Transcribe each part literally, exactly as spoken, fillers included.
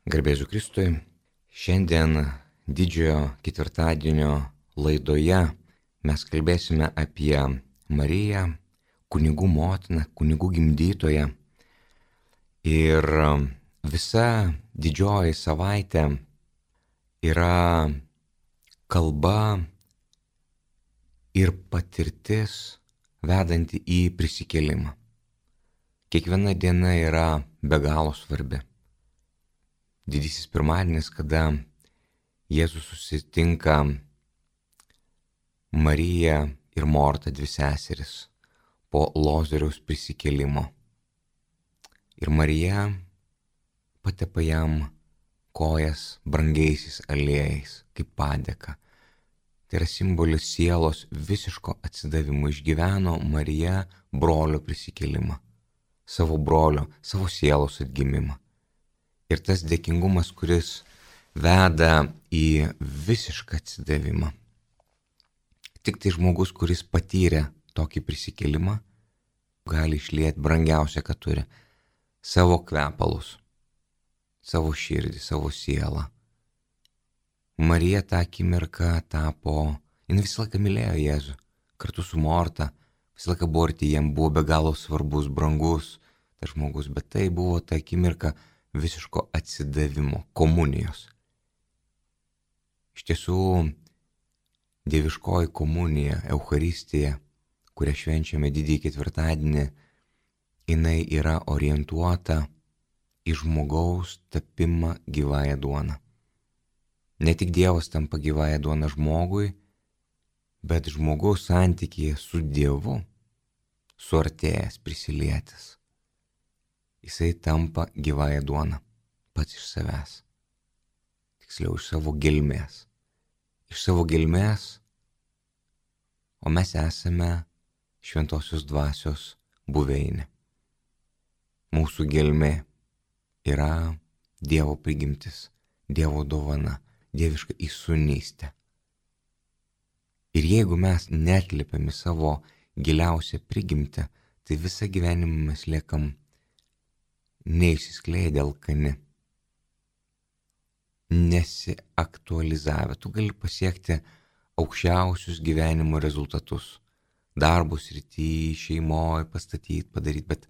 Garbėsiu Kristui. Šiandien didžiojo ketvirtadienio laidoje mes kalbėsime apie Mariją, kunigų motiną, kunigų gimdytoją. Ir visa didžioji savaitė yra kalba ir patirtis vedanti į prisikėlimą. Kiekviena diena yra be galo svarbi. Didysis pirmadienis, kada Jėzus susitinka Mariją ir Mortą, dvi seseris, po Lozoriaus prisikėlimo. Ir Marija patepa jam kojas brangiaisiais aliejais, kaip padėka. Tai yra simbolis sielos visiško atsidavimo. Išgyveno Marija brolio prisikėlimą, savo brolio, savo sielos atgimimą. Ir tas dėkingumas, kuris veda į visišką atsidavimą. Tik tai žmogus, kuris patyrė tokį prisikėlimą, gali išlieti brangiausia, ką turi. Savo kvepalus, savo širdį, savo sielą. Marija tą akimirką tapo, jin visą laiką mylėjo Jėzų. Kartu su Morta, visą laiką buvo arti, jam buvo be galo svarbus, brangus tas žmogus. Bet tai buvo ta akimirka visiško atsidavimo, komunijos. Iš tiesų, dieviškoji komunija, Eucharistija, kurią švenčiame didįjį ketvirtadienį, jinai yra orientuota į žmogaus tapimą gyvąją duoną. Ne tik Dievas tampa gyvąją duoną žmogui, bet žmogaus santykyje su Dievu, suartėjęs, prisilietęs. Jisai tampa gyvąją duoną, pats iš savęs. Tiksliau, iš savo gelmės. Iš savo gelmės, o mes esame šventosios dvasios buveinė. Mūsų gelmė yra Dievo prigimtis, Dievo dovana, dieviška įsūnystė. Ir jeigu mes neatliepėme savo giliausią prigimtį, tai visą gyvenimą mes liekam neišsiskleidę alkani, nesiaktualizavę. Tu gali pasiekti aukščiausius gyvenimo rezultatus, darbus srity, šeimoje, pastatyti, padaryti, bet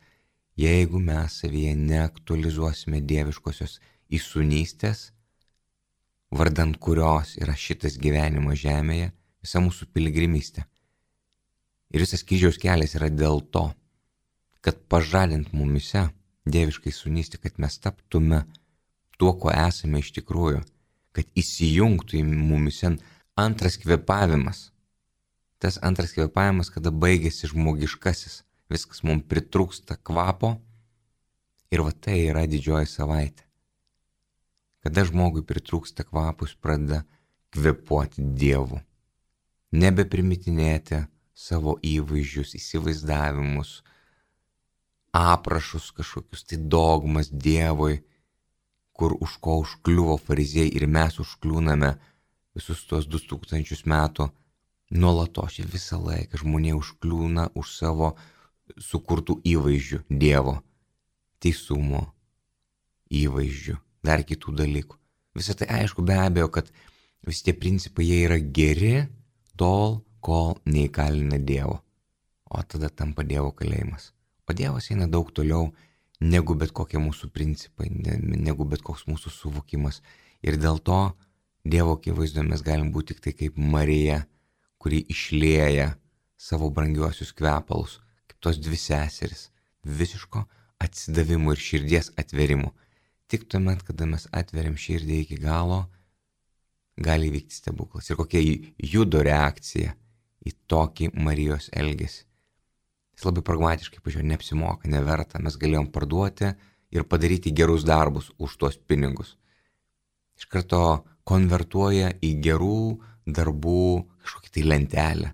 jeigu mes savyje neaktualizuosime dieviškosios įsūnystės, vardant kurios yra šitas gyvenimas žemėje, visa mūsų piligrimystė. Ir visas kryžiaus kelias yra dėl to, kad pažadint mumise dieviškai įsūnystę, kad mes taptume tuo, ko esame iš tikrųjų, kad įsijungtų į mumise antras kvėpavimas. Tas antras kvėpavimas, kada baigėsi žmogiškasis, viskas mums pritrūksta kvapo, ir va tai yra didžioji savaitė. Kada žmogui pritrūksta kvapo, jis pradeda kvėpuoti Dievu. Nebeprimetininėti savo įvaizdžius, įsivaizdavimus, aprašus kažkokius, tai dogmas Dievui, kur už ko užkliuvo fariziejai ir mes užkliūname visus tuos du tūkstančius metų. Nuolatos visą laiką žmonė užkliūna už savo sukurtų įvaizdžių Dievo, teisumo įvaizdžių, dar kitų dalykų. Visą tai aišku, be abejo, kad visi tie principai jie yra geri tol, kol neįkalina Dievo, o tada tampa Dievo kalėjimas. O Dievas eina daug toliau negu bet kokie mūsų principai, negu bet koks mūsų suvokimas. Ir dėl to Dievo akivaizdoje mes galim būti tik tai kaip Marija, kuri išlieja savo brangiuosius kvepalus, kaip tos dvi seseris, visiško atsidavimo ir širdies atvėrimo. Tik tuomet, kada mes atveriam širdį iki galo, gali vykti stebuklas. Ir kokia Judo reakcija į tokį Marijos elgesį. Jis labai pragmatiškai pažiūrėjo, neapsimoka, neverta, mes galėjom parduoti ir padaryti gerus darbus už tuos pinigus. Iš karto konvertuoja į gerų darbų kažkokį tai lentelę.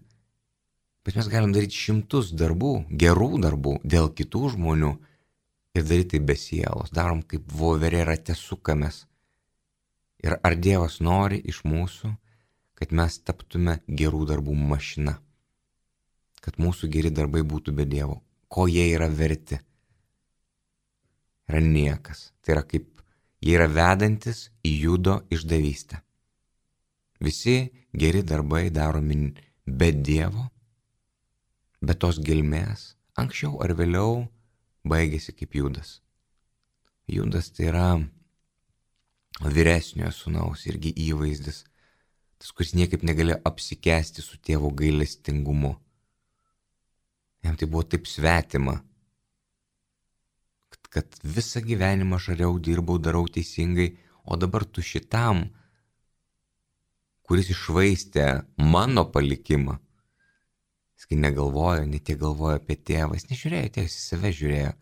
Bet mes galim daryti šimtus darbų, gerų darbų dėl kitų žmonių ir daryti tai be sielos. Darom kaip voverė rate sukamės. Ir ar Dievas nori iš mūsų, kad mes taptume gerų darbų mašina? Kad mūsų geri darbai būtų be Dievo. Ko jie yra verti? Yra niekas. Tai yra kaip Jie yra vedantis į judo išdavystę. Visi geri darbai daromi be Dievo, be tos gelmės, anksčiau ar vėliau baigėsi kaip Judas. Judas tai yra vyresniojo sūnaus irgi įvaizdis, tas, kuris niekaip negalėjo apsikęsti su tėvo gailestingumu. Jam tai buvo taip svetima, kad, kad visą gyvenimą šariau, dirbau, darau teisingai, o dabar tu šitam, kuris iššvaistė mano palikimą, jis kai negalvojo, ne tiek galvojo apie tėvą, jis nežiūrėjo, tėvas į save žiūrėjo.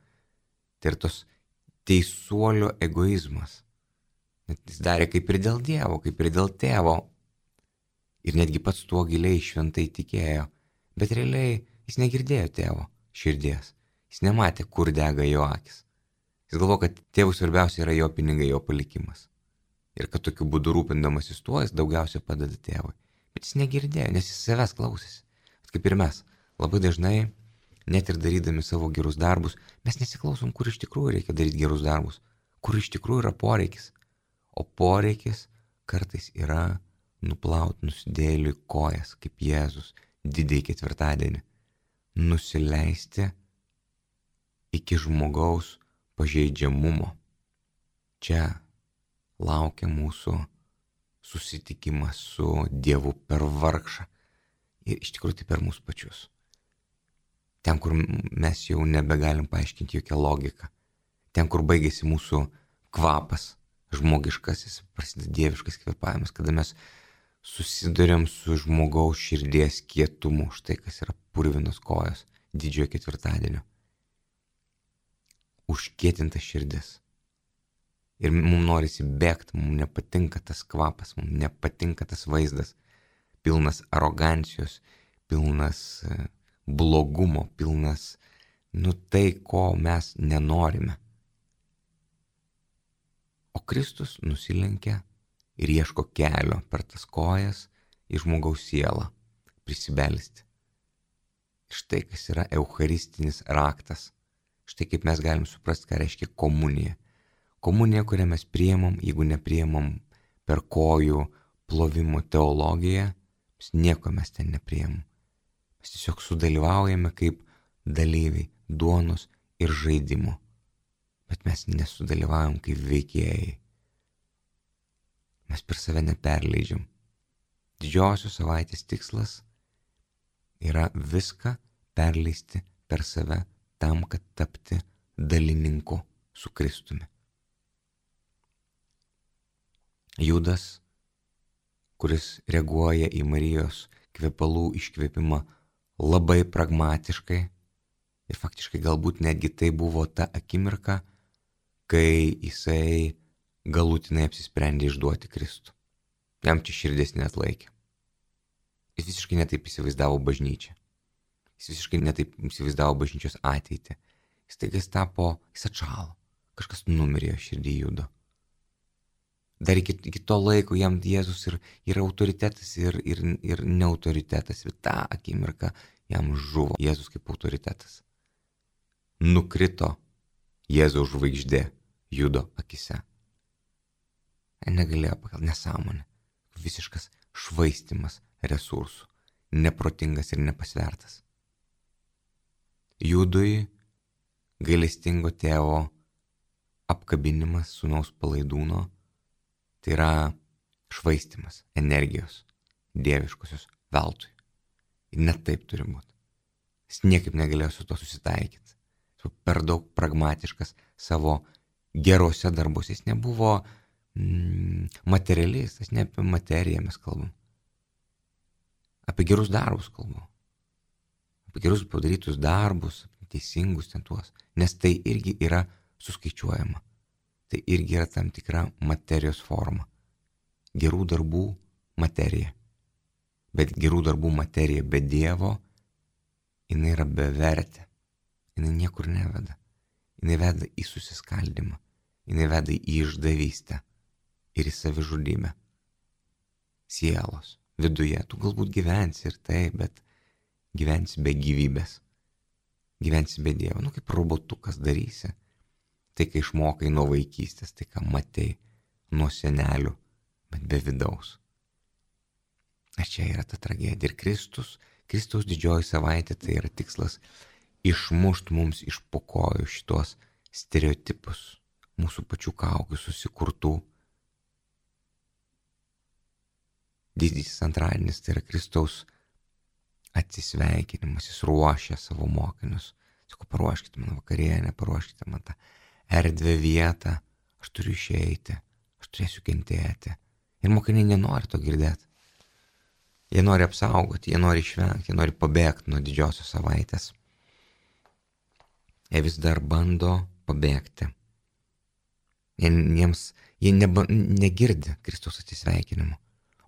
Tai ir tos teisuolio egoizmas. Net jis darė kaip ir dėl Dievo, kaip ir dėl tėvo. Ir netgi pats tuo giliai šventai tikėjo. Bet realiai jis negirdėjo tėvo širdies. Jis nematė, kur dega jo akis. Jis galvojo, kad tėvui svarbiausia yra jo pinigai, jo palikimas. Ir kad tokiu būdu rūpindamasis tuo, jis daugiausia padeda tėvui. Bet jis negirdėjo, nes jis savęs klausėsi. Kaip ir mes, labai dažnai, net ir darydami savo gerus darbus, mes nesiklausom, kur iš tikrųjų reikia daryti gerus darbus, kur iš tikrųjų yra poreikis. O poreikis kartais yra nuplauti nusidėjėliui kojas, kaip Jėzus didįjį ketvirtadienį. Nusileisti iki žmogaus pažeidžiamumo. Čia laukia mūsų susitikimas su Dievu per vargšą. Ir iš tikrųjų tai per mūsų pačius. Ten, kur mes jau nebegalim paaiškinti jokią logiką. Ten, kur baigėsi mūsų kvapas, žmogiškasis, prasideda dieviškas kvėpavimas, kada mes susidurėm su žmogaus širdies kietumu, štai kas yra purvinos kojos didžiojo ketvirtadienio. Užkietinta širdis. Ir mums norisi bėgti, mums nepatinka tas kvapas, mums nepatinka tas vaizdas. Pilnas arogancijos, pilnas blogumo, pilnas, nu tai, ko mes nenorime. O Kristus nusilenkia ir ieško kelio per tas kojas į žmogaus sielą prisibelsti. Štai kas yra eucharistinis raktas. Štai kaip mes galim suprasti, ką reiškia komunija. Komunija, kurią mes priimam, jeigu nepriimam per kojų plovimo teologiją, nieko mes ten nepriimam. Mes tiesiog sudalyvaujame kaip dalyviai duonos ir žaidimo. Bet mes nesudalyvaujam kaip veikėjai. Mes per save neperleidžiam. Didžiosios savaitės tikslas yra viską perleisti per save tam, kad tapti dalininku su Kristumi. Judas, kuris reaguoja į Marijos kvepalų iškvėpimą labai pragmatiškai ir faktiškai galbūt netgi tai buvo ta akimirka, kai jisai galutinai apsisprendė išduoti Kristų. Jam čia širdis neatlaikė. Jis visiškai netaip įsivaizdavo bažnyčią. Jis visiškai netaip įsivaizdavo bažnyčios ateitį. Jis taigi tapo, jis atšalo. Kažkas numirė širdį Judo. Dar iki, iki to laiko jam Jėzus ir, ir autoritetas, ir, ir, ir neautoritetas. Ir tą akimirką jam žuvo Jėzus kaip autoritetas. Nukrito Jėzaus žvaigždė Judo akise. Negalėjo pakelti, nesąmonė. Visiškas švaistimas resursų. Neprotingas ir nepasvertas. Judui gailestingo tėvo apkabinimas sūnaus palaidūno, tai yra švaistimas energijos dieviškosios veltui. Ir net taip turi būti. Jis niekaip negalėjo su to susitaikyti. Jis buvo per daug pragmatiškas savo gerose darbuose. Jis nebuvo mm, materialistas, ne apie materiją mes kalbam. Apie gerus darbus kalbam. Apie gerus padarytus darbus, teisingus ten tuos. Nes tai irgi yra suskaičiuojama. Tai irgi yra tam tikra materijos forma. Gerų darbų materija. Bet gerų darbų materija be Dievo, jinai yra bevertė. Jinai niekur neveda. Jinai veda į susiskaldimą. Jinai veda į išdavystę ir į savižudybę. Sielos viduje. Tu galbūt gyvensi ir tai, bet gyvensi be gyvybės. Gyvensi be Dievo. Nu kaip robotukas darysi. tai kai išmokai nuo vaikystės, tai ką matei nuo senelių, bet be vidaus. Ir čia yra ta tragedija. Ir Kristus, Kristaus didžioji savaitė, tai yra tikslas išmušt mums iš po kojų šitos stereotipus, mūsų pačių kaukių susikurtų. Didysis antradienis tai yra Kristaus atsisveikinimas, jis ruošia savo mokinius. Sako, paruoškite man vakarienę, paruoškite man tą erdvę vietą, aš turiu išeiti, aš turėsiu kentėti. Ir mokiniai nenori to girdėti. Jie nori apsaugoti, jie nori išvengti, jie nori pabėgti nuo didžiosios savaitės. Jie vis dar bando pabėgti. Jie, jiems, jie neba, negirdi Kristaus atsisveikinimo.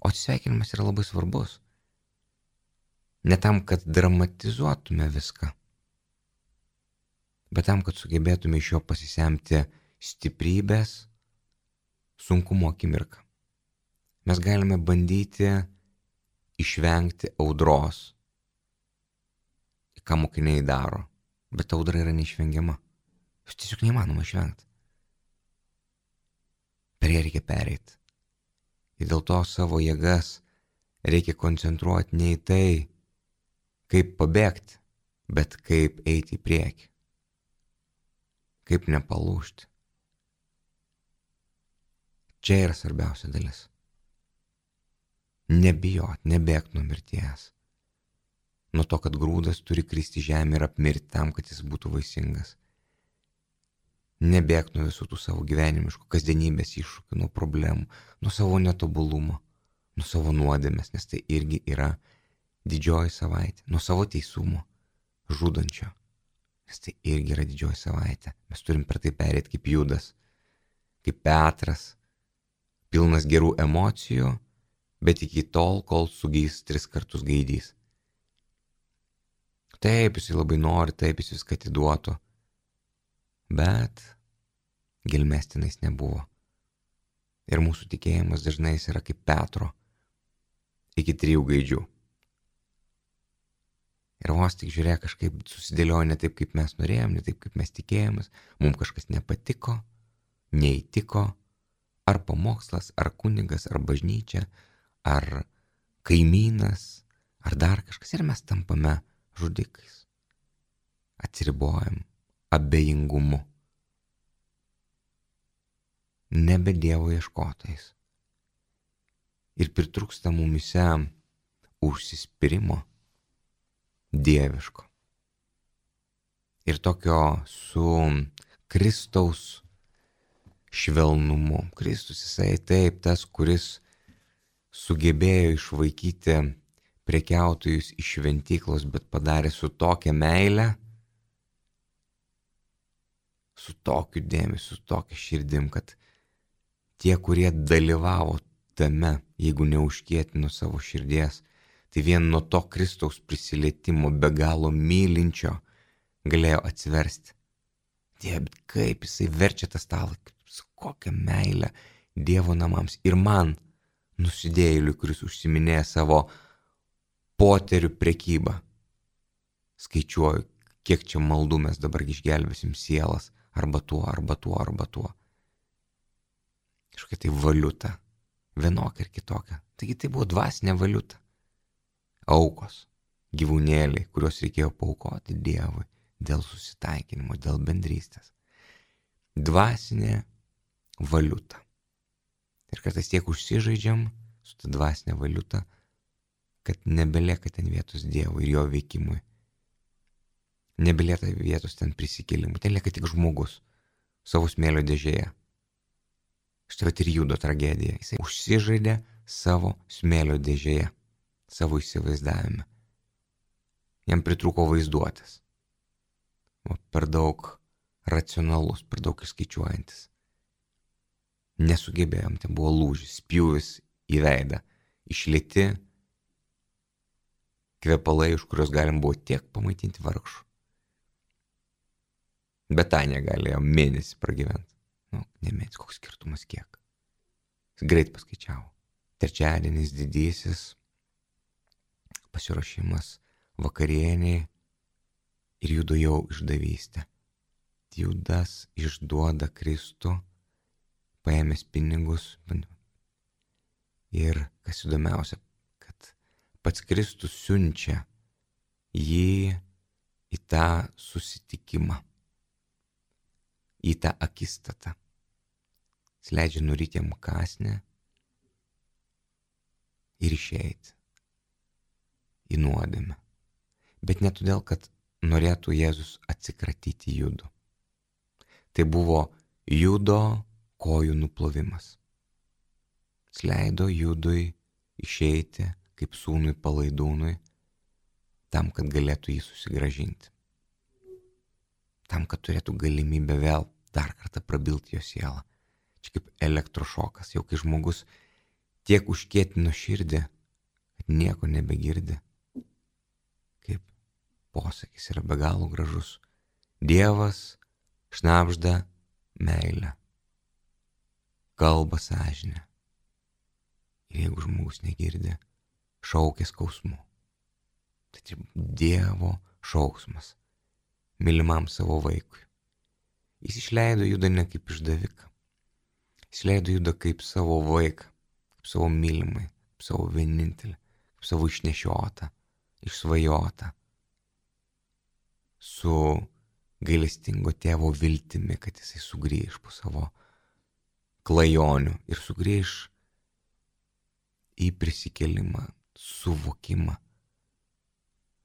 O atsisveikinimas yra labai svarbus. Ne tam, kad dramatizuotume viską, bet tam, kad sugebėtume iš jo pasisemti stiprybės sunkumo akimirką. Mes galime bandyti išvengti audros, ką mokiniai daro, bet audra yra neišvengiama. Jūs tiesiog neįmanoma išvengti. Per ją reikia pereiti. Ir dėl to savo jėgas reikia koncentruoti ne į tai, kaip pabėgti, bet kaip eiti į priekį. Kaip nepalūžti. Čia yra svarbiausia dalis. Nebijot, nebėgti nuo mirties. Nuo to, kad grūdas turi kristi žemę ir apmirti tam, kad jis būtų vaisingas. Nebėgti nuo visų tų savo gyvenimiškų kasdienybės iššūkių, nuo problemų, nuo savo netobulumo, nuo savo nuodėmės, nes tai irgi yra didžioji savaitė, nuo savo teisumo, žudančio, nes tai irgi yra didžioji savaitė. Mes turim per tai perėti kaip Judas, kaip Petras, pilnas gerų emocijų, bet iki tol, kol sugys tris kartus gaidys. Taip, jis labai nori, taip jis viską atiduotų, bet gelmestinais nebuvo. Ir mūsų tikėjimas dažnai yra kaip Petro, iki trijų gaidžių. Ir vos tik žiūrėk, kažkaip susidėliojo ne taip, kaip mes norėjom, ne taip, kaip mes tikėjomės, mums kažkas nepatiko, neįtiko, ar pamokslas, ar kunigas, ar bažnyčia, ar kaimynas, ar dar kažkas, ir mes tampame žudikais, atsiribojam abejingumu, nebe Dievo ieškotais. Ir pritrūksta mumise užsispyrimo dieviško. Ir tokio su Kristaus švelnumu. Kristus jisai taip tas, kuris sugebėjo išvaikyti prekiautojus iš šventyklos, bet padarė su tokia meile, su tokiu dėmesiu, su tokia širdim, kad tie, kurie dalyvavo tame, jeigu neužkietino savo širdies, tai vien nuo to Kristaus prisilietimo be galo mylinčio galėjo atsiversti. Dieve, bet kaip jisai verčia tą stalą, su kokia meilė Dievo namams. Ir man, nusidėjėliui, kuris užsiminėja savo poterių prekybą, skaičiuoju, kiek čia maldų mes dabar išgelbėsim sielas, arba tuo, arba tuo, arba tuo. Kažkokia tai valiuta, vienokia ir kitokia. Taigi tai buvo dvasinė valiuta. Aukos, gyvūnėliai, kuriuos reikėjo paaukoti Dievui dėl susitaikinimo, dėl bendrystės. Dvasinė valiuta. Ir kartais tiek užsižaidžiam su ta dvasinė valiuta, kad nebelieka ten vietos Dievui ir jo veikimui. Nebelieka vietos ten prisikėlimui. Ten lieka tik žmogus savo smėlio dėžėje. Štai ir Judo tragedija. Jisai užsižaidė savo smėlio dėžėje, savo įsivaizdavime. Jam pritrūko vaizduotės. O per daug racionalus, per daug įskaičiuojantis. Nesugebėjom, ten buvo lūžis, spjūvis į veidą, išlieti kvepalai, už kurios galim buvo tiek pamaitinti vargšų. Betanija galėjo mėnesį pragyventi. Nu, ne mėnesį, koks skirtumas kiek. Jis greit paskaičiavo. Trečiadienis didysis, pasiruošimas vakarieniai ir Judo jau išdavystė. Judas išduoda Kristų, paėmęs pinigus. Ir kas įdomiausia, kad pats Kristus siunčia jį į tą susitikimą, į tą akistatą. Jis leidžia nuryti jam kąsnį ir išeiti į nuodėmę. Bet ne todėl, kad norėtų Jėzus atsikratyti Judo. Tai buvo Judo kojų nuplovimas. Jis leido Judui išeiti kaip sūnui palaidūnui, tam, kad galėtų jį susigrąžinti. Tam, kad turėtų galimybę vėl dar kartą prabilti jo sielą. Čia kaip elektrošokas, jau kai žmogus tiek užkietino širdį, kad nieko nebegirdi. Kaip posakis yra be galo gražus. Dievas šnabžda meilę, kalba sąžinę. Ir jeigu žmogus negirdi, šaukia skausmu. Tai čia Dievo šauksmas mylimam savo vaikui. Jis išleido Judą ne kaip išdaviką. Jis leido Judą kaip savo vaiką, kaip savo mylimai, kaip savo vienintelį, kaip savo išnešiotą, išsvajotą. Su gailestingo tėvo viltimi, kad jisai sugrįž po savo klajonių ir sugrįž į prisikėlimą, suvokimą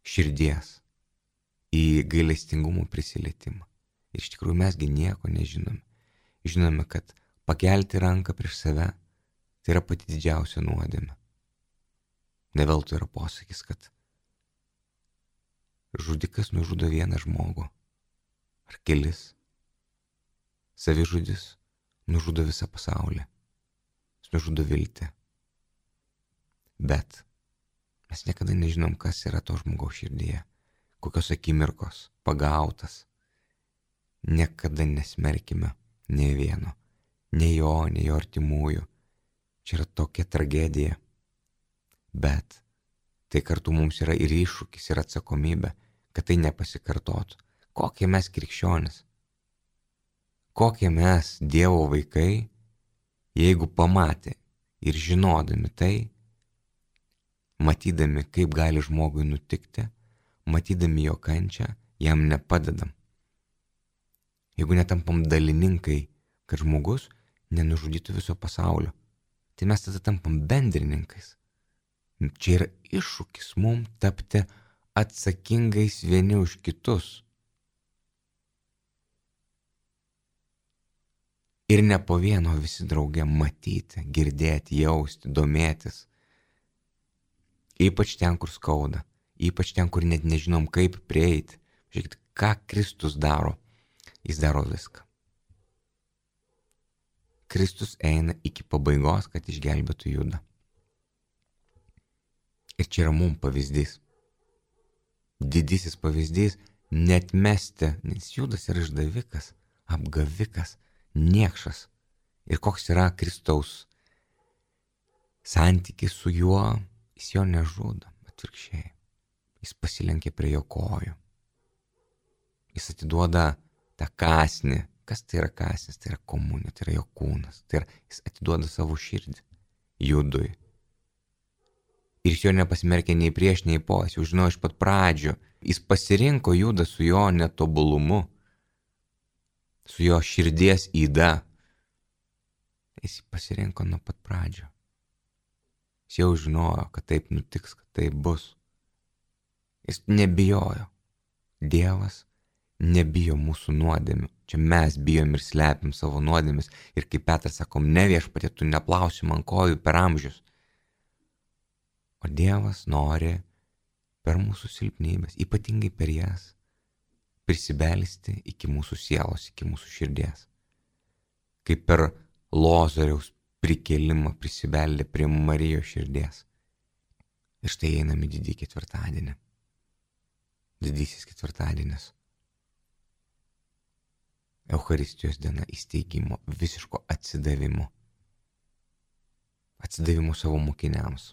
širdies, į gailestingumo prisilietimą. Ir iš tikrųjų mesgi nieko nežinome. Žinome, kad pakelti ranką prieš save tai yra pati didžiausia nuodėmė. Ne veltui yra posakis, kad žudikas nužudo vieną žmogų ar kelis. Savižudis nužudo visą pasaulį. Jis nužudo viltį. Bet mes niekada nežinom, kas yra to žmogaus širdyje, kokios akimirkos pagautas. Niekada nesmerkime nei vieno, nei jo, nei jo artimųjų. Čia yra tokia tragedija. Bet tai kartu mums yra ir iššūkis, ir atsakomybė, kad tai nepasikartotų. Kokie mes krikščionis, kokie mes Dievo vaikai, jeigu pamatė ir žinodami tai, matydami, kaip gali žmogui nutikti, matydami jo kančią, jam nepadedam. Jeigu netampam dalininkai, kad žmogus nenužudytų viso pasaulio, tai mes tada tampam bendrininkais. Čia yra iššūkis mums tapti atsakingais vieni už kitus. Ir ne po vieno visi drauge matyti, girdėti, jausti, domėtis. Ypač ten, kur skauda, ypač ten, kur net nežinom, kaip prieiti. Žiūrėkit, ką Kristus daro. Jis daro viską. Kristus eina iki pabaigos, kad išgelbėtų Judą. Ir čia yra mums pavyzdys. Didysis pavyzdys neatmesti, nes Judas yra išdavikas, apgavikas, niekšas. Ir koks yra Kristaus santykis su juo, jis jo nežudo, atvirkščiai. Jis pasilenkia prie jo kojų. Jis atiduoda tą kąsnį. Kas tai yra kąsnis? Tai yra komunija, tai yra jo kūnas. Tai yra, jis atiduoda savo širdį Judui. Ir jis jo nepasmerkė nei prieš, nei po. Jis jau žinojo iš pat pradžių. Jis pasirinko Judą su jo netobulumu, su jo širdies yda. Jis pasirinko nuo pat pradžio. Jis jau žinojo, kad taip nutiks, kad taip bus. Jis nebijojo. Dievas nebijo mūsų nuodėmių. Čia mes bijom ir slepiam savo nuodėmis. Ir kaip Petras sakom, ne viešpatie, tu neplausi man kojų per amžius. O Dievas nori per mūsų silpnybės, ypatingai per jas, prisibelsti iki mūsų sielos, iki mūsų širdies. Kaip per Lozoriaus prikėlimą prisibeldė prie Marijos širdies. Ir štai einam į didį ketvirtadienį. Didysis ketvirtadienis. Eucharistijos diena, įsteigimo, visiško atsidavimo. Atsidavimo savo mokiniams,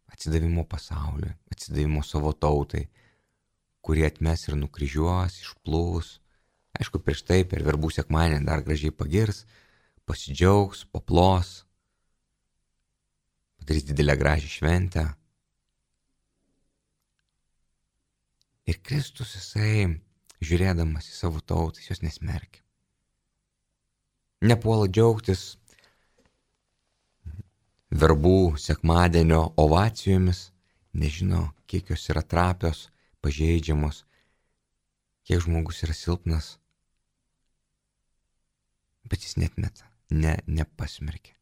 atsidavimo pasauliui, atsidavimo savo tautai, kurie atmes ir nukryžiuos, išplūs, Aišku, prieš tai per verbų sekmadienį dar gražiai pagirs, pasidžiaugs, paplos, padarys didelę gražią šventę. Ir Kristus, jisai, žiūrėdamas į savo tautą, jis jos nesmerkia. Nepuola džiaugtis verbų sekmadienio ovacijomis, nežino, kiek jos yra trapios, pažeidžiamos, kiek žmogus yra silpnas. Bet jis netmeta, ne, nepasmerkia.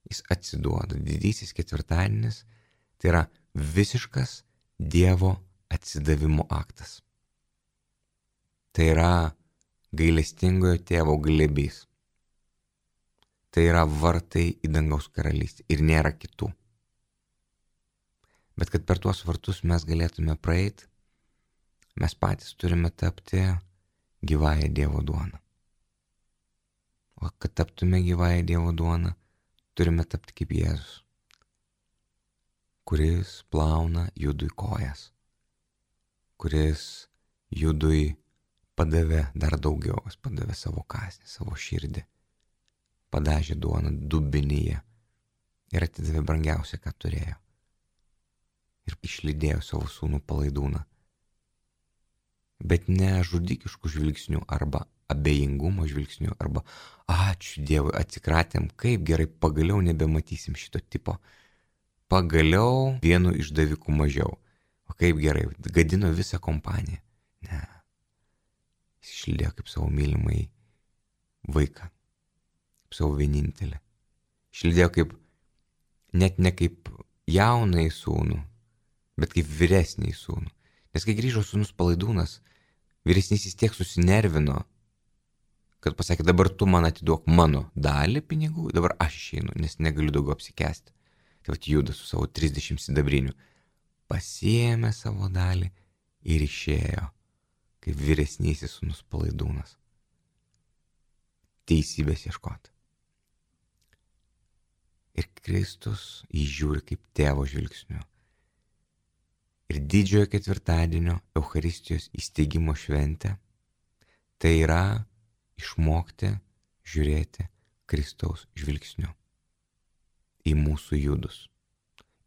Jis atsiduoda. Didysis ketvirtadienis tai yra visiškas Dievo atsidavimo aktas. Tai yra gailestingojo tėvo glėbys. Tai yra vartai į dangaus karalystę ir nėra kitų. Bet kad per tuos vartus mes galėtume praeiti, mes patys turime tapti gyvąją Dievo duoną. O kad taptume gyvąją Dievo duoną, turime tapti kaip Jėzus, kuris plauna Judui kojas, kuris Judui padavė dar daugiau, jis padavė savo kąsnį, savo širdį, padažė duoną dubenyje ir atidavė brangiausią, ką turėjo. Ir išlydėjo savo sūnų palaidūną. Bet ne žudikiškų žvilgsnių arba abejingumo žvilgsnių arba ačiū Dievui, atsikratėm, kaip gerai, pagaliau nebematysim šito tipo. Pagaliau vienu išdaviku mažiau. O kaip gerai, gadino visą kompaniją. Ne. Jis išlydėjo kaip savo mylimai vaiką, kaip savo vienintelį. Išlydėjo kaip, net ne kaip jaunai sūnų, bet kaip vyresnį sūnų. Nes kai grįžo sūnus palaidūnas, vyresnysis tiek susinervino, kad pasakė, dabar tu man atiduok mano dalį pinigų, dabar aš išeinu, nes negaliu daugiau apsikęsti. Tai vat Judas su savo trisdešimt sidabrinių pasiėmė savo dalį ir išėjo, kaip vyresnysis sūnus palaidūnas. Teisybės ieškoti. Ir Kristus įžiūri kaip tėvo žvilgsniu. Ir didžiojo ketvirtadienio Eucharistijos įsteigimo šventė tai yra išmokti žiūrėti Kristaus žvilgsniu į mūsų Judus.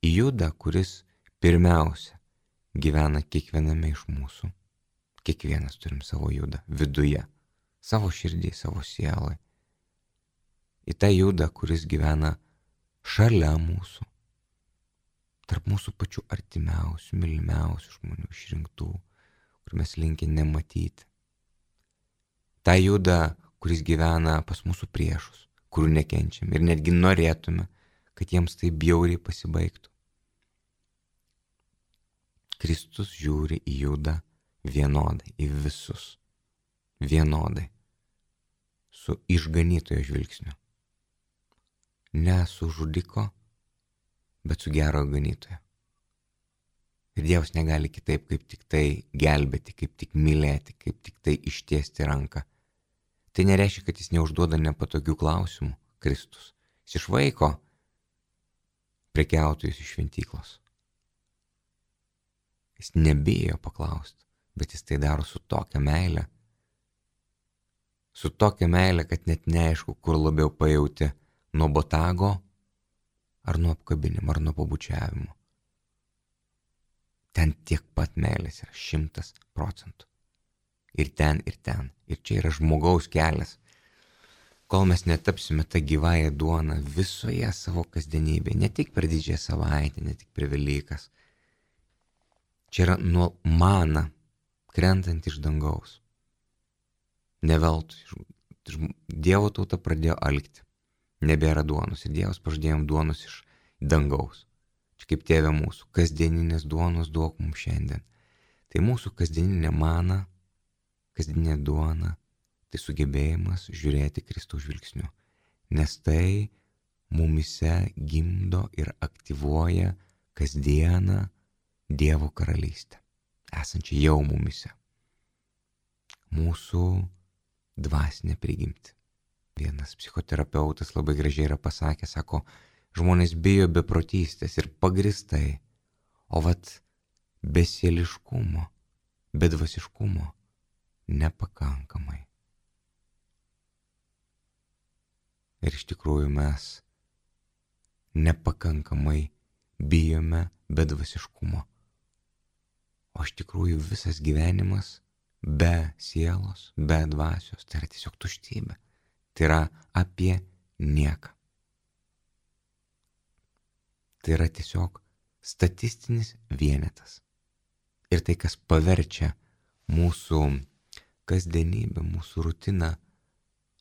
Į Judą, kuris pirmiausia gyvena kiekviename iš mūsų. Kiekvienas turim savo Judą viduje, savo širdį, savo sielai. Į tą Judą, kuris gyvena šalia mūsų, tarp mūsų pačių artimiausių, mylimiausių žmonių, išrinktų, kur mes linkę nematyti. Ta Juda, kuris gyvena pas mūsų priešus, kurių nekenčiam ir netgi norėtume, kad jiems tai bjauriai pasibaigtų. Kristus žiūri į Judą vienodai, į visus, vienodai, su išganytojo žvilgsniu. Ne su žudiko, bet su gero ganytojo. Ir Dievas negali kitaip, kaip tik tai gelbėti, kaip tik mylėti, kaip tik tai ištiesti ranką. Tai nereiškia, kad jis neužduoda nepatogių klausimų, Kristus. Jis išvaiko prekiautojus iš šventyklos. Jis nebijo paklausti, bet jis tai daro su tokia meile. Su tokia meile, kad net neaišku, kur labiau pajauti nuo botago, ar nuo apkabinimo, ar nuo pabučiavimo. Ten tiek pat meilės yra šimtas procentų. Ir ten, ir ten. Ir čia yra žmogaus kelias. Kol mes netapsime tą gyvąją duoną visoje savo kasdienybėje, ne tik per didžiąją savaitę, ne tik per Velykas. Čia yra nuo mana krentant iš dangaus. Ne veltui. Dievo tauta pradėjo alkti. Nebėra duonos. Ir Dievas pažadėjom duonos iš dangaus. Čia kaip Tėve mūsų. Kasdieninės duonos duok mums šiandien. Tai mūsų kasdieninė mana, kasdieninė duona, tai sugebėjimas žiūrėti Kristaus žvilgsniu. Nes tai mumise gimdo ir aktyvuoja kasdieną Dievo karalystę, esančią jau mumise. Mūsų dvasinė prigimtį. Vienas psichoterapeutas labai gražiai yra pasakęs, sako, žmonės bijo beprotystės ir pagristai, o vat besieliškumo, bedvasiškumo nepakankamai. Ir iš tikrųjų mes nepakankamai bijome bedvasiškumo. O iš tikrųjų visas gyvenimas be sielos, be dvasios, tai yra tiesiog tuštybė. Tai yra apie nieką. Tai yra tiesiog statistinis vienetas. Ir tai, kas paverčia mūsų kasdienybę, mūsų rutiną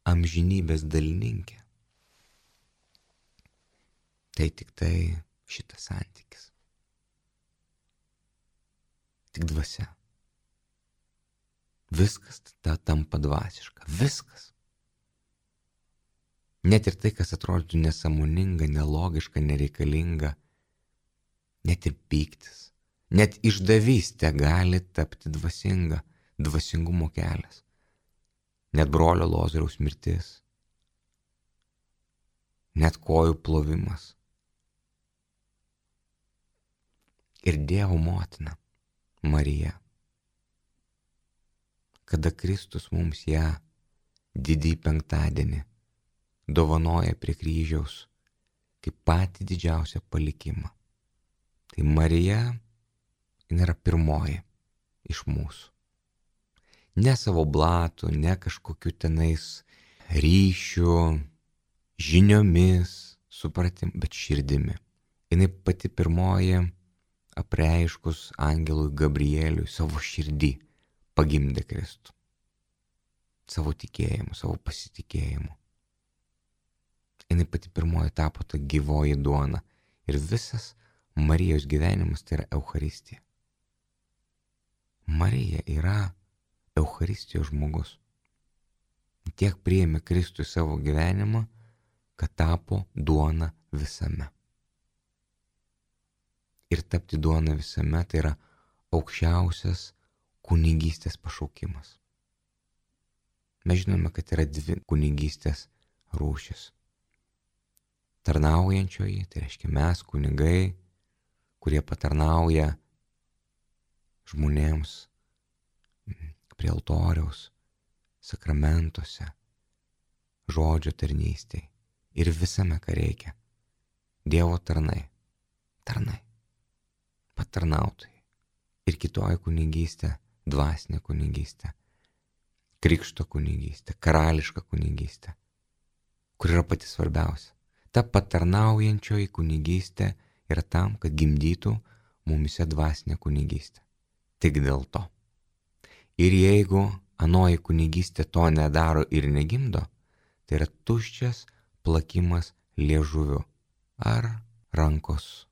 amžinybės dalininkę, tai tik tai šitas santykis. Tik dvasia. Viskas tada tampa dvasiška. Viskas. Net ir tai, kas atrodytų nesąmoninga, nelogiška, nereikalinga, net ir pyktis, net išdavystė gali tapti dvasinga, dvasingumo kelias. Net brolio Lozoriaus mirtis, net kojų plovimas. Ir Dievo motina, Marija, kada Kristus mums ją didįjį penktadienį dovanoja prie kryžiaus kaip patį didžiausią palikimą. Tai Marija, jin yra pirmoji iš mūsų. Ne savo blatų, ne kažkokiu tenais ryšių, žiniomis, supratim, bet širdimi. Jinai pati pirmoji apreiškus angelui Gabrieliui savo širdį pagimdė Kristų. Savo tikėjimu, savo pasitikėjimu. Jinai pati pirmoji tapo ta gyvoji duona. Ir visas Marijos gyvenimas tai yra Eucharistija. Marija yra Eucharistijos žmogus. Tiek priėmė Kristų į savo gyvenimą, kad tapo duona visame. Ir tapti duona visame tai yra aukščiausias kunigystės pašaukimas. Mes žinome, kad yra dvi kunigystės rūšis. Tarnaujančioji, tai reiškia mes, kunigai, kurie patarnauja žmonėms prie altoriaus, sakramentuose, žodžio tarnystėj ir visame, ką reikia. Dievo tarnai, tarnai, patarnautojai. Ir kitoji kunigystė, dvasinė kunigystė, krikšto kunigystė, karališka kunigystė, kur yra pati svarbiausia. Ta patarnaujančioji kunigystė yra tam, kad gimdytų mumise dvasinę kunigystę. Tik dėl to. Ir jeigu anoji kunigystė to nedaro ir negimdo, tai yra tuščias plakimas liežuviu ar rankos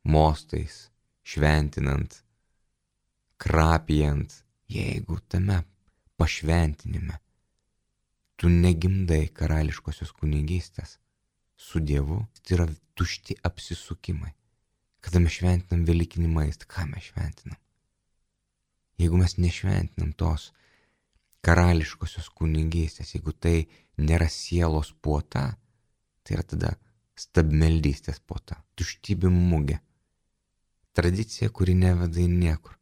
mostais, šventinant, krapijant, jeigu tame pašventinime tu negimdai karališkosios kunigystės su Dievu, tai yra tušti apsisukimai. Kada mes šventinam velykinį maistą, ką mes šventinam? Jeigu mes nešventinam tos karališkosios kunigystės, jeigu tai nėra sielos puota, tai yra tada stabmeldystės puota, tuštybė mugė, tradicija, kuri neveda į niekur.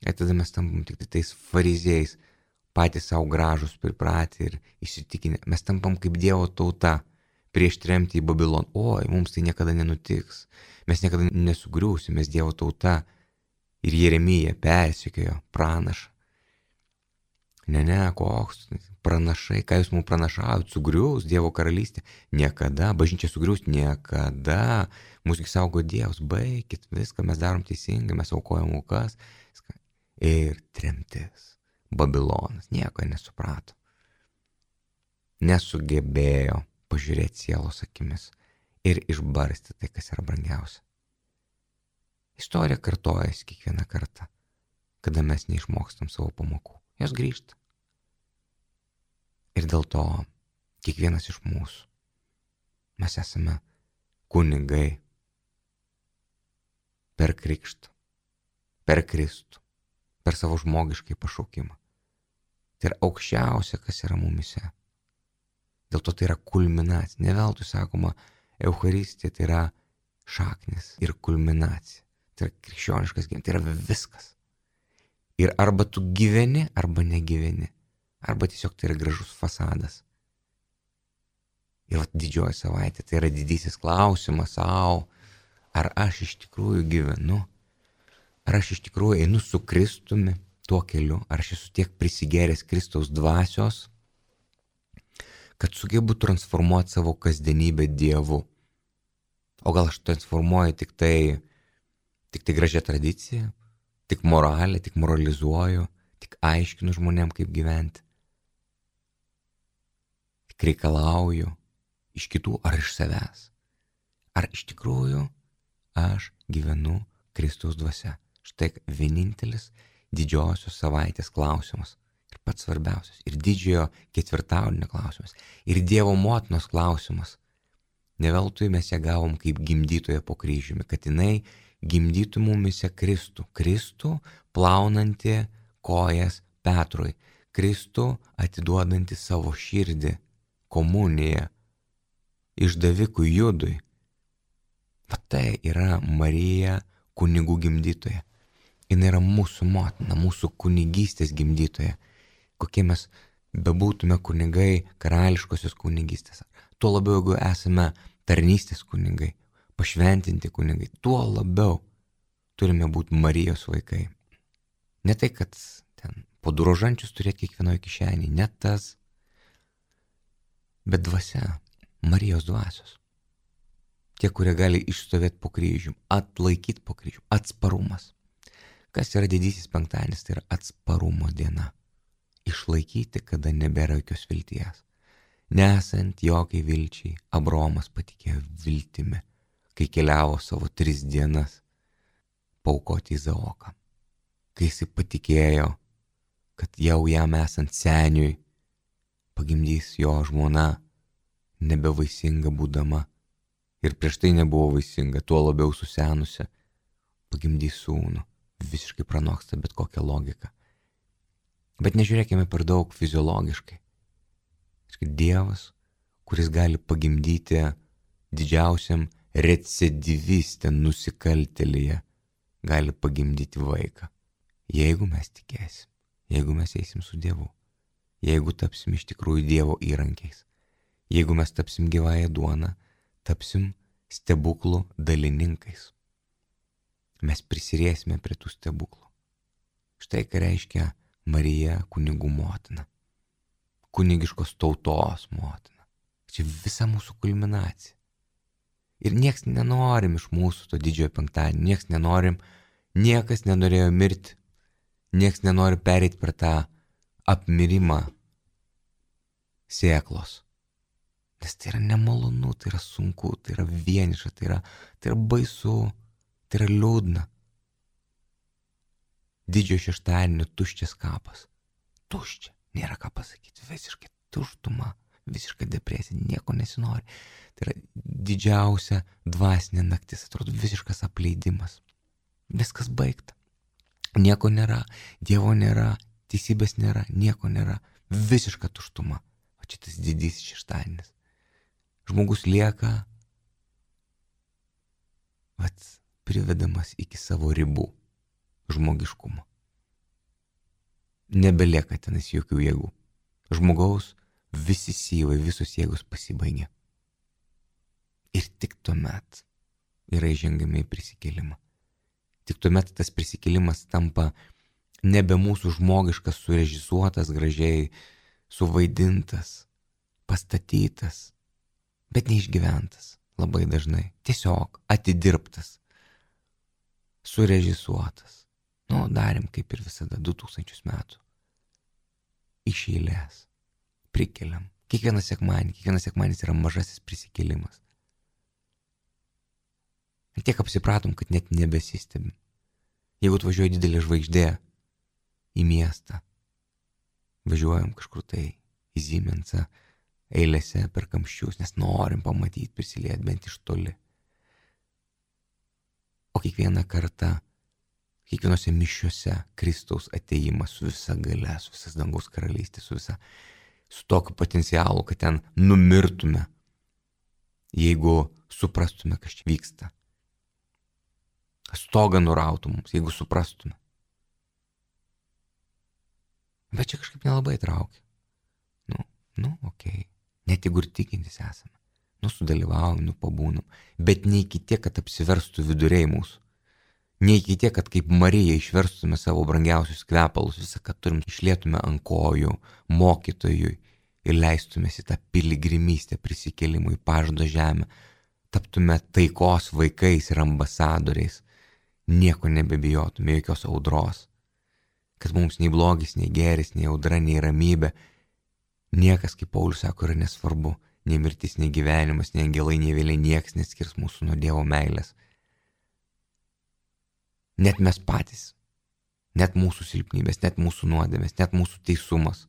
Ir tada mes tampam tik tais fariziejais, patys savo gražus pripratę ir įsitikinę. Mes tampam kaip Dievo tauta prieš tremtį į Babiloną. Oi, mums tai niekada nenutiks. Mes niekada nesugriūsim, mes Dievo tauta. Ir Jeremija persekiojo pranašą. Ne, ne, koks pranašai, ką jūs mums pranašavot, sugriūs Dievo karalystė. Niekada, bažnyčia sugriūs, niekada. Mūsų saugo Dievas, baikit viską, mes darom teisingai, mes aukojam aukas. Ir tremtis. Babilonas nieko nesuprato. Nesugebėjo pažiūrėti sielos akimis ir išbarsti tai, kas yra brangiausia. Istorija kartojasi kiekvieną kartą, kada mes neišmokstam savo pamokų. Jos grįžta. Ir dėl to kiekvienas iš mūsų, mes esame kunigai per krikštą, per Kristų, per savo žmogiškai pašaukimą. Tai yra aukščiausia, kas yra mumise. Dėl to tai yra kulminacija. Ne veltui sakoma, Eucharistija tai yra šaknis ir kulminacija. Tai yra krikščioniškas gyvenimas, tai yra viskas. Ir arba tu gyveni, arba negyveni. Arba tiesiog tai yra gražus fasadas. Ir vat didžioji savaitė, tai yra didysis klausimas sau, ar aš iš tikrųjų gyvenu, ar aš iš tikrųjų einu su Kristumi tuo keliu, ar aš esu tiek prisigėręs Kristaus dvasios, kad sugebu transformuoti savo kasdienybę Dievu. O gal aš transformuoju tik tai, tik tai gražią tradiciją, tik moralę, tik moralizuoju, tik aiškinu žmonėm, kaip gyventi. Tik reikalauju iš kitų ar iš savęs. Ar iš tikrųjų aš gyvenu Kristaus dvasia. Štai vienintelis didžiosios savaitės klausimas. Ir pats svarbiausias. Ir didžiojo ketvirtadienio klausimas. Ir Dievo motinos klausimas. Ne veltui mes ją gavom kaip gimdytoją po kryžiumi, kad jinai gimdytų mumise Kristų. Kristų plaunantį kojas Petrui. Kristų atiduodantį savo širdį komuniją išdavikui Judui. Va tai yra Marija kunigų gimdytoja. Jis yra mūsų motina, mūsų kunigystės gimdytoja. Kokie mes bebūtume kunigai karališkosios kunigystės. Tuo labiau, jeigu esame tarnystės kunigai, pašventinti kunigai, tuo labiau turime būti Marijos vaikai. Ne tai, kad ten po du rožančius turėti kiekvienoje kišenėje, ne tas, bet dvasia, Marijos dvasios. Tie, kurie gali išstovėti po kryžium, atlaikyti po kryžium, atsparumas. Kas yra didysis penktadienis, tai yra atsparumo diena. Išlaikyti, kada nebėra jokios vilties. Nesant jokiai vilčiai, Abraomas patikėjo viltimi, kai keliavo savo tris dienas paaukoti Izaoką. Kai jis patikėjo, kad jau jam esant seniui pagimdys jo žmona, nebevaisinga būdama, ir prieš tai nebuvo vaisinga, tuo labiau susenusi, pagimdys sūnų, visiškai pranoksta bet kokią logiką. Bet nežiūrėkime per daug fiziologiškai. Dievas, kuris gali pagimdyti didžiausiam recidiviste nusikaltėlyje, gali pagimdyti vaiką. Jeigu mes tikėsim, jeigu mes eisim su Dievu, jeigu tapsim iš tikrųjų Dievo įrankiais, jeigu mes tapsim gyvąją duoną, tapsim stebuklų dalininkais. Mes prisiriesime prie tų stebuklų. Štai ką reiškia Marija kunigų motina. Kunigiškos tautos motina. Čia visa mūsų kulminacija. Ir nieks nenorim iš mūsų to didžiojo penktadienio, nieks nenorim, niekas nenorėjo mirti, nieks nenori pereiti per tą apmirimą sėklos. Nes tai yra nemalonu, tai yra sunku, tai yra vieniša, tai yra, tai yra baisu, tai yra liūdna. Didžiojo šeštadienio tuščias kapas. Tuščia. Nėra ką pasakyti, visiškai tuštuma, visiškai depresija, nieko nesinori. Tai yra didžiausia dvasinė naktis, atrodo visiškas apleidimas. Viskas baigta. Nieko nėra, Dievo nėra, teisybės nėra, nieko nėra. Visiška tuštuma. O čia tas didysis šeštadienis. Žmogus lieka vat, privedamas iki savo ribų žmogiškumo. Nebelieka tenas jokių jėgų. Žmogaus visi syvai, visos jėgos pasibaigė. Ir tik tuomet yra įžengiami į prisikėlimą. Tik tuomet tas prisikėlimas tampa nebe mūsų žmogiškas, surežisuotas, gražiai suvaidintas, pastatytas, bet neišgyventas labai dažnai. Tiesiog atidirbtas, surežisuotas. Nu, darėm kaip ir visada, du tūkstančius metų. Iš eilės. Prikeliam. Kiekvieną sekmanį, kiekvienas sekmanis yra mažasis prisikėlimas. Ir tiek apsipratom, kad net nebesistebim. Jeigu atvažiuoja didelė žvaigždė į miestą, važiuojam kažkur tai į Siemensą, eilėse per kamščius, nes norim pamatyti, prisiliet bent iš toli. O kiekvieną kartą kiekvienose mišiuose Kristaus atėjimas su visa galia, su visas dangaus karalystė, su visa, su tokiu potencialu, kad ten numirtume, jeigu suprastume, kas čia vyksta. Stogą nurautų mums, jeigu suprastume. Bet čia kažkaip nelabai traukia. Nu, nu, okei. Okay. Net jeigu ir tikintis esame. Nu, sudalyvaujam, nu, pabūnam. Bet ne iki tiek, kad apsiverstų viduriai mūsų. Ne iki tiek, kad kaip Marija išverstume savo brangiausius kvepalus, visą, ką turim, išlietume ant kojų mokytojui ir leistumės į tą piligrimystę prisikėlimui į pažado žemę. Taptume taikos vaikais ir ambasadoriais. Nieko nebebijotume, jokios audros. Kad mums nei blogis, nei gėris, nei audra, nei ramybė. Niekas, kaip Paulius sako, yra nesvarbu. Nei mirtis, nei gyvenimas, nei angelai, nei vėliai niekas neskirs mūsų nuo Dievo meilės. Net mes patys. Net mūsų silpnybės, net mūsų nuodėmės, net mūsų teisumas.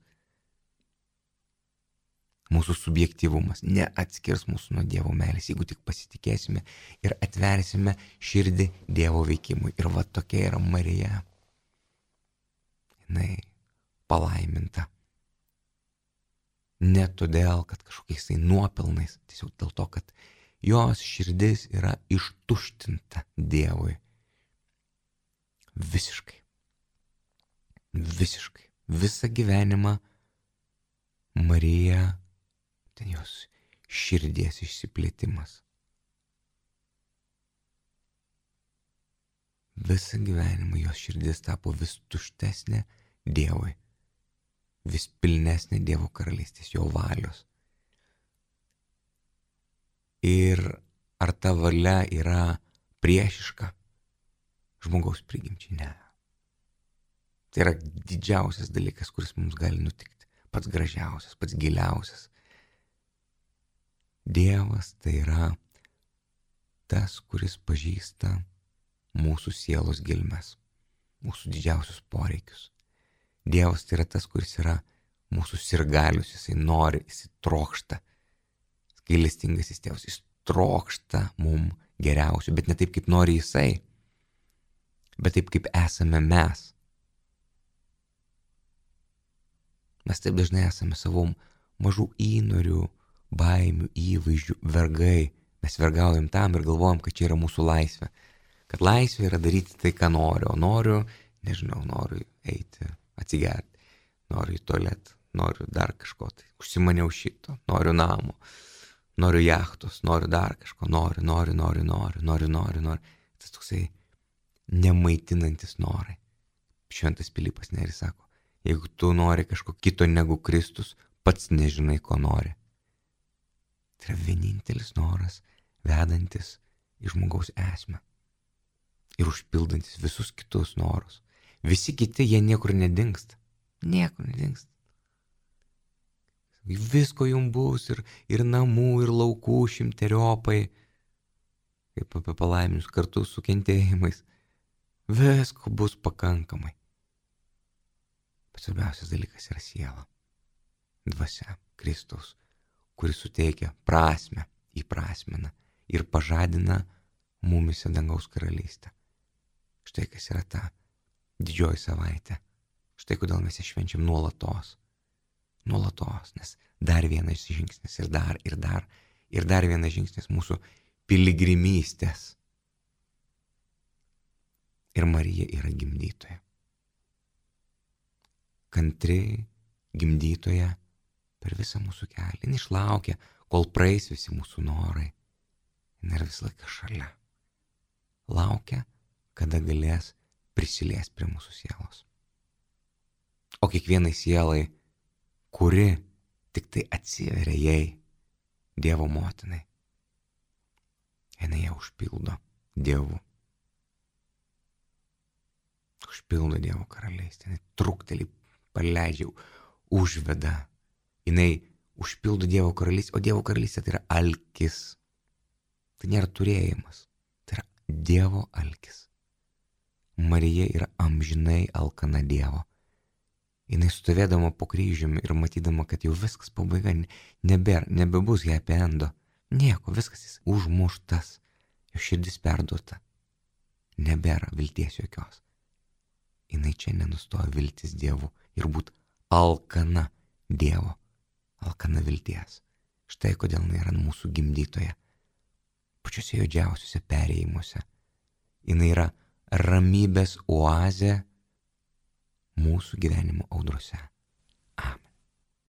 Mūsų subjektyvumas neatskirs mūsų nuo Dievo meilės, jeigu tik pasitikėsime ir atversime širdį Dievo veikimui. Ir va tokia yra Marija. Jinai palaiminta. Ne todėl, kad kažkokiais tai nuopelnais, tiesiog dėl to, kad jos širdis yra ištuštinta Dievui. Visiškai. Visiškai. Visą gyvenimą Marija, ten jos širdies išsiplėtimas. Visą gyvenimą jos širdis tapo vis tuštesnė Dievui, vis pilnesnė Dievo karalystės, jo valios. Ir ar ta valia yra priešiška žmogaus prigimčiai? Ne. Tai yra didžiausias dalykas, kuris mums gali nutikti, pats gražiausias, pats giliausias. Dievas tai yra tas, kuris pažįsta mūsų sielos gelmes, mūsų didžiausius poreikius. Dievas tai yra tas, kuris yra mūsų sirgalius, jisai nori, jisai trokšta. Gailestingasis tėvas, jis trokšta mum geriausių, bet ne taip, kaip nori jisai, bet taip, kaip esame mes. Mes taip dažnai esame savo mažų įnorių, baimių, įvaizdžių, vergai. Mes vergaujam tam ir galvojam, kad čia yra mūsų laisvė. Kad laisvė yra daryti tai, ką noriu. O noriu, nežinau, noriu eiti, atsigerti, noriu į tualetą, noriu dar kažko. Tai užsimaniau šito, noriu namo, noriu jachtos, noriu dar kažko, noriu, noriu, noriu, noriu, noriu, noriu, noriu. Tas toksai nemaitinantis norai. Šventas Pilypas Nėris sako, jeigu tu nori kažko kito negu Kristus, pats nežinai, ko nori. Tai yra vienintelis noras, vedantis į žmogaus esmę ir užpildantis visus kitus norus. Visi kiti, jie niekur nedingsta. Niekur nedingsta. Visko jums bus ir, ir namų, ir laukų šimteriopai, kaip apie palaiminius kartu su kentėjimais. Visko bus pakankamai. Bet svarbiausias dalykas yra siela. Dvasia Kristaus, kuris suteikia prasmę, įprasmina ir pažadina mumise dangaus karalystę. Štai kas yra ta didžioji savaitė. Štai kodėl mes ją švenčiam nuolatos. Nuolatos, nes dar vienas žingsnis ir dar, ir dar, ir dar vienas žingsnis mūsų piligrimystės. Ir Marija yra gimdytoja. Kantri gimdytoja per visą mūsų kelią. Jis išlaukia, kol praeis visi mūsų norai. Jis yra visą laiką šalia. Laukia, kada galės prisilies prie mūsų sielos. O kiekvienai sielai, kuri tik tai atsiveria jai, Dievo motinai, jinai ją užpildo Dievu. Užpildo Dievo karalystę, jinai truktelį paleidžia, užveda, jinai užpildo Dievo karalystę, o Dievo karalystė tai yra alkis. Tai nėra turėjimas, tai yra Dievo alkis. Marija yra amžinai alkana Dievo. Jinai stovėdama po kryžiumi ir matydama, kad jau viskas pabaiga, nebėra, nebebus happy endo. Nieko, viskas jis užmuštas, jo širdis perduota. Nebėra vilties jokios. Jinai čia nenustoja viltis Dievu ir būt alkana Dievo, alkana vilties. Štai kodėl jinai yra mūsų gimdytoja. Pačiuose juodžiausiuose perėjimuose. Jinai yra ramybės oazė mūsų gyvenimo audrose.